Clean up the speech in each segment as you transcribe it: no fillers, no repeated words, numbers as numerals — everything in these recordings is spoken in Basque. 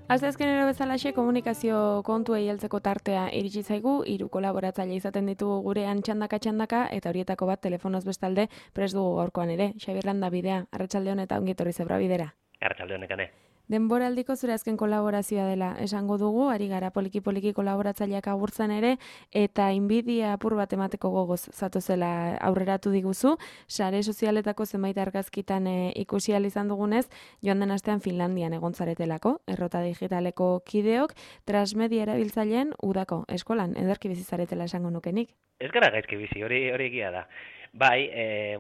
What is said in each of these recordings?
Asteazkenero bezalaxe komunikazio kontuei heltzeko tartea iritsi zaigu, 3 kolaboratzaile izaten ditugu gurean txandaka eta horietako bat telefonoz bestalde prest dugu gaurkoan ere. Xabier Landa bidea, arratsalde hon eta ongi etorri Zebra bidera. Arratsalde honekane. Denboraldiko zure azken kolaborazioa dela esango dugu, ari gara poliki kolaboratzaileak agurtzen ere, eta inbidia apur bat emateko gogoz zatozela aurreratu diguzu, sare sozialetako zenbait argazkitan ikusi ahal izan dugunez, joan den astean Finlandian egon zaretelako, errota digitaleko kideok, transmedia erabiltzaileen udako eskolan, ederki bizi zaretela esango nukenik. Ez gara gaizki bizi, hori egia da. Bai,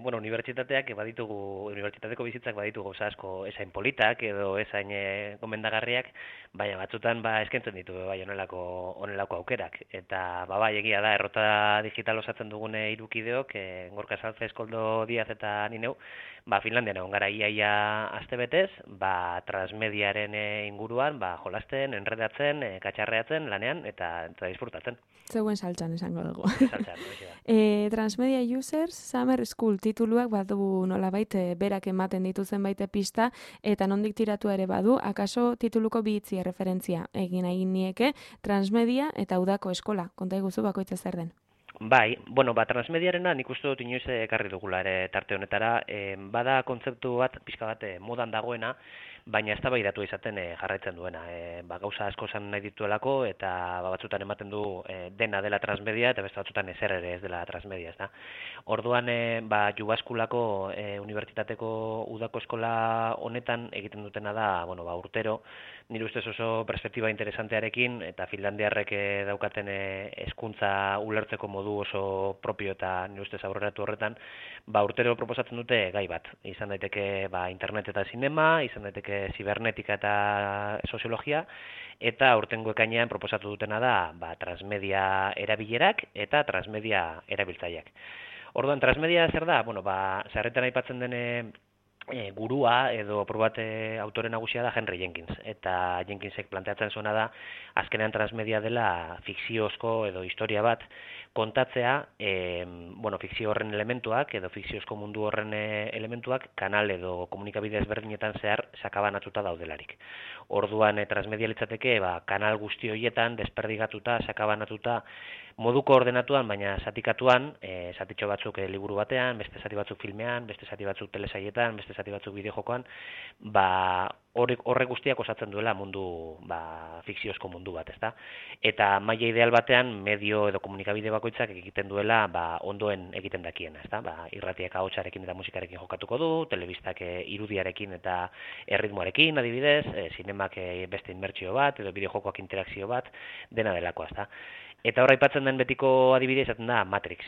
unibertsitateak unibertsitateko bizitzak baditu gauza asko esain politak edo esain gomendagarriak, baina batzutan eskaintzen ditu bai honelako aukerak. Eta bai egia da, errota digital osatzen dugune hirukideok, Gorka Salce, Eskoldo Diaz eta ni neu, Finlandian egon gara iaia astebetez, transmediaren inguruan, jolasten, enredatzen, katxarreatzen, lanean eta disfrutatzen. Zeuen saltxan esango dugu. Saltxan, hori da. Transmedia Users Summer School tituluak badu nolabait berak ematen dituzen baite pista, eta nondik tiratu ere badu, akaso tituluko bi hitzi referentzia egin nieke, transmedia eta udako eskola. Konta iguzu bakoitza zer den. Bai, transmediarena nik uste dut inoiz ekarri dugula ere tarte honetara, bada kontzeptu bat, pixka bat modan dagoena, baina eztabaidatu izaten jarraitzen duena. Gauza asko esan nahi dituelako eta batzutan ematen du dena dela transmedia eta beste batzutan ezer ere ez dela transmedia, ezta. Orduan Jubaskulako unibertsitateko udako eskola honetan egiten dutena da, urtero, nire ustez oso perspektiba interesantearekin eta finlandiarrek daukaten hezkuntza ulertzeko modu oso propio eta nire ustez aurreratu horretan, urtero proposatzen dute gai bat. Izan daiteke internet eta zinema, izan daiteke zibernetika eta soziologia, eta aurtengo ekainean proposatu dutena da transmedia erabilerak eta transmedia erabiltzaileak. Orduan, transmedia zer da? Sarretan aipatzen den gurua edo probate autore nagusia da Henry Jenkins, eta Jenkinsek planteatzen zuena da azkenean transmedia dela fikziozko edo historia bat kontatzea, fikzio horren elementuak edo fikziozko mundu horren elementuak kanal edo komunikabide ezberdinetan zehar sakabanatuta daudelarik. Orduan transmedia litzateke kanal guzti horietan desperdigatuta, sakabanatuta, moduko ordenatuan, baina zatikatuan, zatitxo batzuk liburu batean, beste zati batzuk filmean, beste zati batzuk telesaietan, beste zati batzuk bideojokoan, horrek guztiak osatzen duela mundu, fikziozko mundu bat, ezta? Eta maila ideal batean, medio edo komunikabide bakoitzak egiten duela ondoen egiten dakiena, ezta? Irratiak ahotsarekin eta musikarekin jokatuko du, telebistak irudiarekin eta erritmoarekin, adibidez, zinemak beste inmertsio bat, edo bideojokoak interakzio bat, dena delakoa, ezta? Eta hor aipatzen den betiko adibidea izaten da Matrix,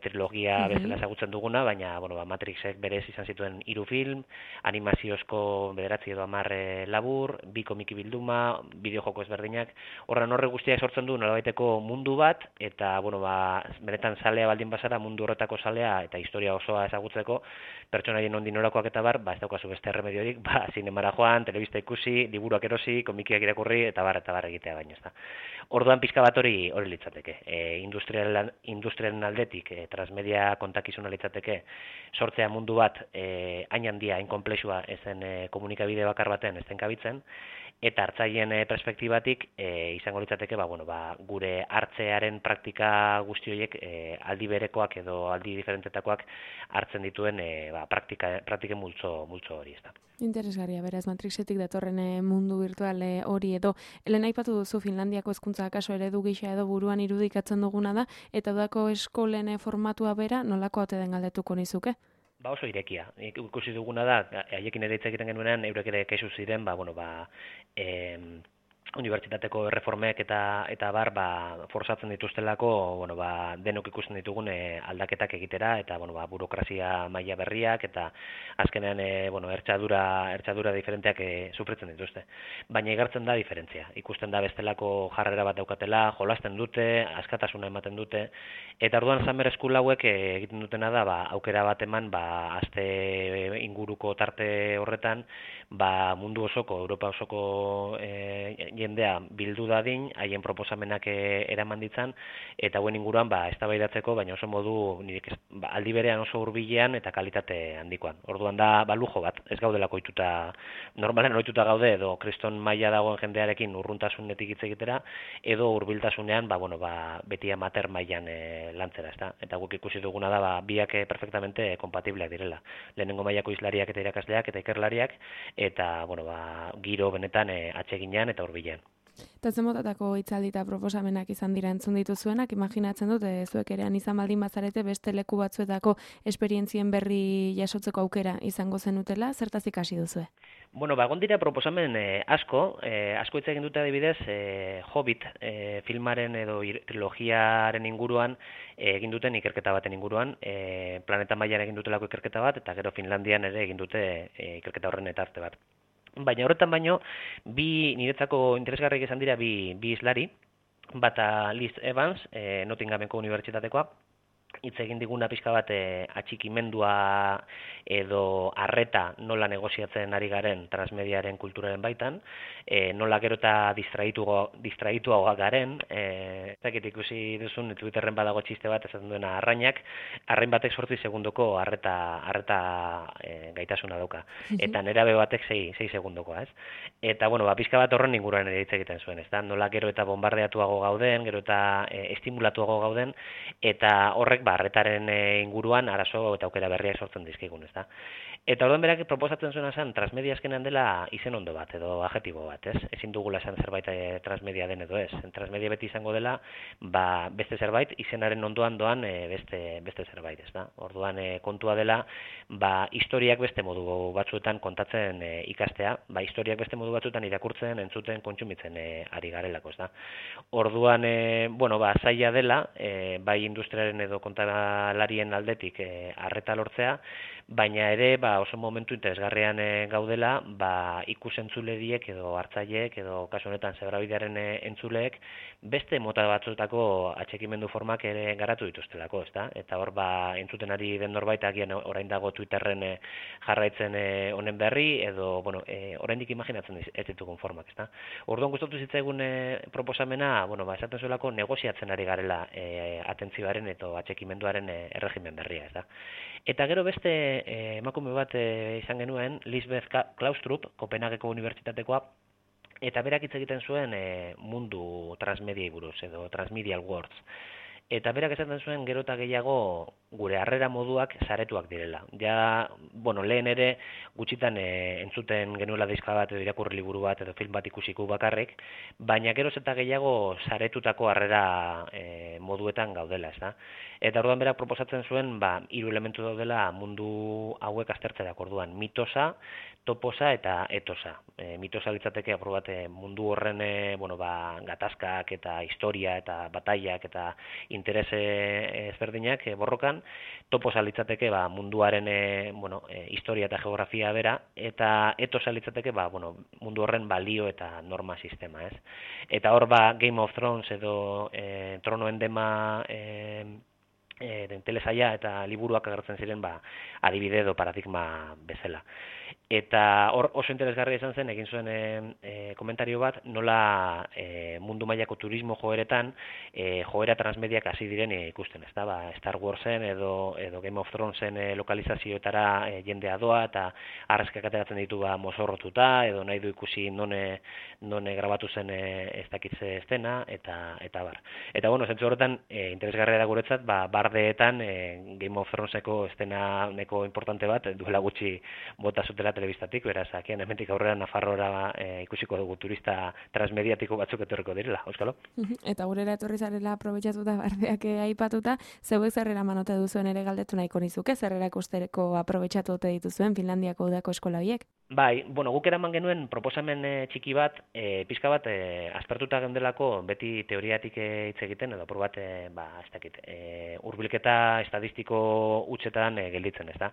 trilogia bezala ezagutzen duguna, baina Matrixek berez izan zituen 3 film, animaziozko 9 edo 10 labur, 2 komiki bilduma, bideojoko ezberdinak, horre guztiak sortzen du nolabaiteko mundu bat, eta benetan zalea baldin bazara, mundu horretako zalea eta historia osoa ezagutzeko, pertsonaien ondi norakoak eta ez daukazu beste erremediorik, zinemara joan, telebista ikusi, liburuak erosi, komikiak irakurri, eta bar egitea baino, ezta. Orduan pixka bat hori litzateke. Industriaren aldetik, transmedia kontakizuna litzateke, sortzea mundu bat hain handia, hain konplexua ezen komunikabide bakar baten ezen kabitzen, eta hartzaileen perspektibatik izango litzateke gure hartzearen praktika guzti horiek aldi berekoak edo aldi diferentetakoak hartzen dituen praktiken multzo hori, ezta. Interesgarria, beraz, Matrixetik datorren mundu virtual hori edo. Helen aipatu duzu Finlandiako hezkuntza akaso eredu gisa edo buruan irudikatzen duguna da, eta udako eskolen formatua bera nolako ote den galdetuko nizuke? Oso irekia. Ikusi duguna da, haiekin ere hitz egiten genuenean, eurek ere kexu ziren, unibertsitateko erreformek eta bar forzatzen dituztelako, bueno, denok ikusten ditugun aldaketak egitera eta bueno, burokrazia maila berriak eta azkenean bueno, ertsadura diferenteak sufritzen dituzte. Baina igartzen da diferentzia. Ikusten da bestelako jarrera bat daukatela, jolasten dute, askatasuna ematen dute eta orduan Summer School hauek egiten dutena da aukera bat eman aste inguruko tarte horretan mundu osoko, Europa osoko jendea bildu dadin, haien proposamenak eraman ditzan, eta hauen inguruan eztabaidatzeko, baina oso modu aldi berean oso hurbilean eta kalitate handikoan. Orduan da lujo bat, ez gaudelako ohituta, normalen ohituta gaude edo kriston maila dagoen jendearekin urruntasunetik hitz egitera, edo hurbiltasunean beti amateur mailan lantzera, ezta? Eta guk ikusi duguna da biak perfectamente kompatibleak direla. Lehenengo mailako hizlariak eta irakasleak eta ikerlariak eta giro benetan atseginean eta hurbilean. Eta zen motatako hitzaldi eta proposamenak izan dira entzun dituzuenak, imaginatzen dut, zuek erean izan baldin bazarete beste leku batzuetako esperientzien berri jasotzeko aukera izango zenutela, zertaz ikasi duzue? Bueno, egon dira proposamen asko hitz egin dute adibidez, Hobbit filmaren edo trilogiaren inguruan egin duten ikerketa baten inguruan, planeta mailan egin dutelako ikerketa bat, eta gero Finlandian ere egin dute ikerketa horren etarte bat. Baina horretan baino, niretzako interesgarriak izan dira bi hizlari, bata Liz Evans, Nottinghameko unibertsitatekoa, hitz egin diguna pixka bat atxikimendua edo arreta nola negoziatzen ari garen transmediaren kulturaren baitan, nola gero eta distraituagoak garen, ez dakit ikusi duzun Twitterren badago txiste bat esaten duena arrain batek 8 segundoko arreta gaitasuna dauka, eta nerabe batek 6 segundokoa, ez? Eta, pixka bat horren inguruan ere hitz egiten zuen, ez da? Nola gero eta bombardeatuago gauden, gero eta estimulatuago gauden, eta horrek arretaren inguruan arazo eta aukera berriak sortzen dizkigun, ezta? Eta orduan berak proposatzen zuena zen transmedia azkenean dela izen ondo bat edo adjektibo bat, ez? Ezin dugula esan zerbait transmedia den edo ez. Transmedia beti izango dela beste zerbait izenaren ondoan doan beste zerbait, ezta? Orduan kontua dela historiak beste modu batzuetan kontatzen ikastea, historiak beste modu batzuetan irakurtzen, entzuten, kontsumitzen ari garelako, ezta? Orduan zaila dela bai industriaren edo kontalarien aldetik arreta lortzea, baina ere oso momentu interesgarrian gaudela ikusentzuleriek edo hartzaileek edo kasu honetan Zebrabidearen entzuleek beste mota batzuetako atxikimendu formak ere garatu dituztelako, ezta? Eta hor entzuten ari den norbait agian orain dago Twitterren jarraitzen honen berri edo oraindik imaginatzen ez ditugun formak, ezta? Orduan gustatu zitzaigun proposamena, esaten zuelako negoziatzen ari garela atentzioaren eta atxikimenduaren erregimen berria, ezta? Eta gero beste emakume bat izan genuen, Lisbeth Klaustrup, Kopenhageko unibertsitatekoa, eta berak hitz egiten zuen mundu transmediai buruz, edo transmedial words. Eta berak esaten zuen gero eta gehiago gure harrera moduak saretuak direla. Ja, lehen ere gutxitan entzuten genuela diska bat edo irakurri liburu bat edo film bat ikusiko bakarrik, baina geroz eta gehiago saretutako harrera moduetan gaudela, ezta? Eta orduan berak proposatzen zuen 3 elementu daudela mundu hauek aztertzerako, orduan mitosa, toposa eta etosa. Mitosa litzateke aprobat mundu horren gatazkak eta historia eta batailak eta interes ezberdinak borrokan, toposa litzateke munduaren historia eta geografia bera, eta etosa litzateke mundu horren balio eta norma sistema, ez? Eta hor Game of Thrones edo Tronoen dema telesaila eta liburuak agertzen ziren adibide edo paradigma bezala. Eta hor oso interesgarria izan zen, egin zuen komentario bat, nola mundu mailako turismo joeretan joera transmediak hasi diren ikusten, ez da? Star Warsen edo Game of Thronesen lokalizazioetara jendea doa eta arrezkak ateratzen ditu mozorrotuta edo nahi du ikusi non grabatu zen ez dakitze estena eta bar. Eta zentzu horretan interesgarria da guretzat, bardeetan Game of Throneseko estena neko importante bat duela gutxi bota zutela telebistatik, beraz, agian hemendik aurrera Nafarroara ikusiko dugu turista transmediatiko batzuk etorriko direla, Euskalo? Eta gurera etorri zarela aprobetxatuta bardeak aipatuta, zeuek zerrera manote duzuen ere galdetu nahiko nizuke, zerrera ikusteko aprobetxatu ote dituzuen Finlandiako udako eskola horiek? Bai, guk eraman genuen proposamen txiki bat, pixka bat, aspertuta gendelako beti teoriatik hitz egiten, edo apur bat, ez dakit, hurbilketa estadistiko hutsetan gelditzen, ez da?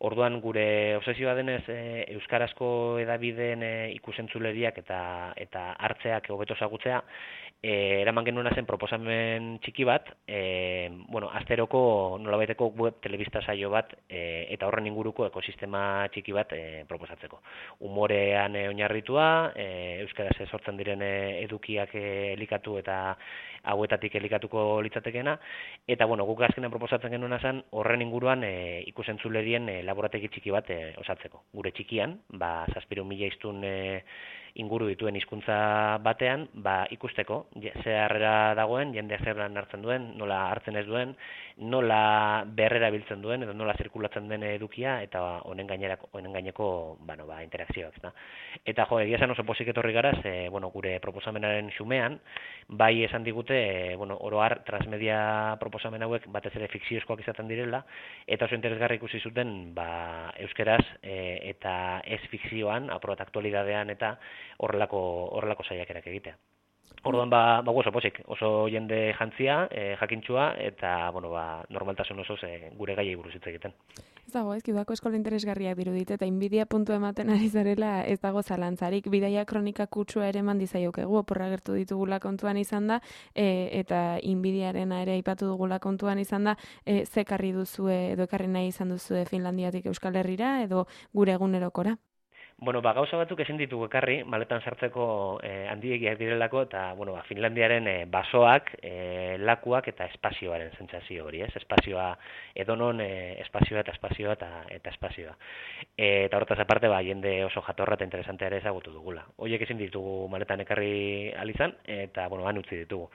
Orduan, gure obsesioa denez, euskarazko edabideen ikusentzuleriak eta hartzeak hobeto ezagutzea, eraman genuena zen proposamen txiki bat, asteroko nolabaiteko web telebista saio bat, eta horren inguruko ekosistema txiki bat proposatzeko. Umorean oinarritua, euskaraz sortzen diren edukiak elikatu eta hauetatik elikatuko litzatekeena, eta guk azkenean proposatzen genuena zen horren inguruan ikusentzulerien laborategi txiki bat osatzeko. Gure txikian, 7.000 hiztun inguru dituen hizkuntza batean, ikusteko ze harrera dagoen, jendeak zer hartzen duen, nola hartzen ez duen, nola berrera biltzen duen, edo nola zirkulatzen den edukia, eta honen gaineko interakzioak. Eta egia esan oso pozik etorri garaz, gure proposamenaren xumean, bai esan digute, oro har, transmedia proposamen hauek batez ere fikziozkoak izaten direla, eta oso interesgarri ikusi zuten, euskeraz eta ez fikzioan, aprobat aktualidadean eta horrelako saiakerak egitea. Orduan, oso pozik, oso jende jantzia, jakintxua, eta, normaltasun osoz gure gaiei buruz hitz egiten. Ez dago, udako eskola interesgarriak dirudit, eta inbidia puntu ematen ari zarela ez dago zalantzarik. Bidaia kronika kutsua ere eman dizaiokegu, oporra gertu ditugula kontuan izan da, eta inbidiarena ere aipatu dugula kontuan izan da, ze ekarri duzue, edo ekarri nahi izan duzue Finlandiatik Euskal Herrira, edo gure egunerokora? Gauza batzuk ezin ditugu ekarri, maletan sartzeko handiegiak direlako, eta, Finlandiaren basoak, lakuak eta espazioaren sentsazio hori, ez? Espazioa edonon, espazioa eta espazioa. Eta horretaz aparte, jende oso jatorra eta interesantea ere ezagutu dugula. Horiek ezin ditugu maletan ekarri alizan, eta, han utzi ditugu.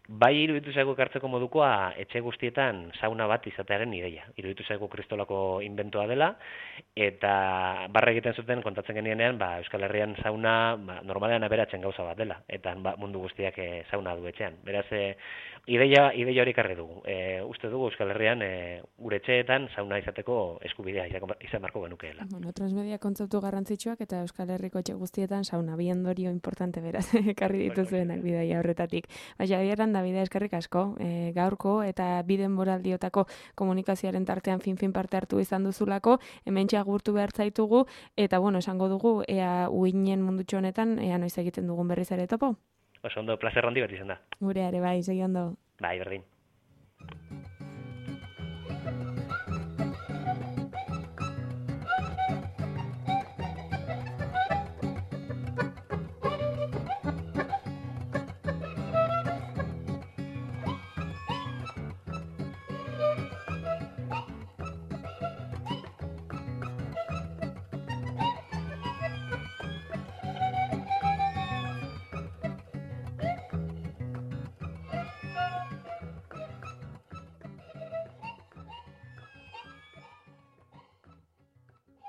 Bai iruditu zaigu ekartzeko modukoa etxe guztietan sauna bat izatearen ideia. Iruditu zaigu kristolako inventoa dela, eta barra egiten zuten kontatzen genienean, Euskal Herrian sauna normalean aberatzen gauza bat dela, eta mundu guztiak sauna du etxean. Beraz, ideia hori ekarri dugu. Uste dugu Euskal Herrian gure etxeetan sauna izateko eskubidea izan marko genukeela. Transmedia kontzeptu garrantzitsuak eta Euskal Herriko etxe guztietan sauna, bi ondorio importante beraz, ekarri dituzuenak bidaia horretatik. Javier Davide, eskerrik asko, gaurko eta biden boraldiotako komunikazioaren tartean fin parte hartu izan duzulako, hementxe agurtu behar zaitugu, eta esango dugu, ea uinen mundutxo honetan, ea noiz egiten dugun berriz ere topo? Oso ondo, plazer handi bat izan da. Gure ere, bai, segi ondo. Bai, berdin.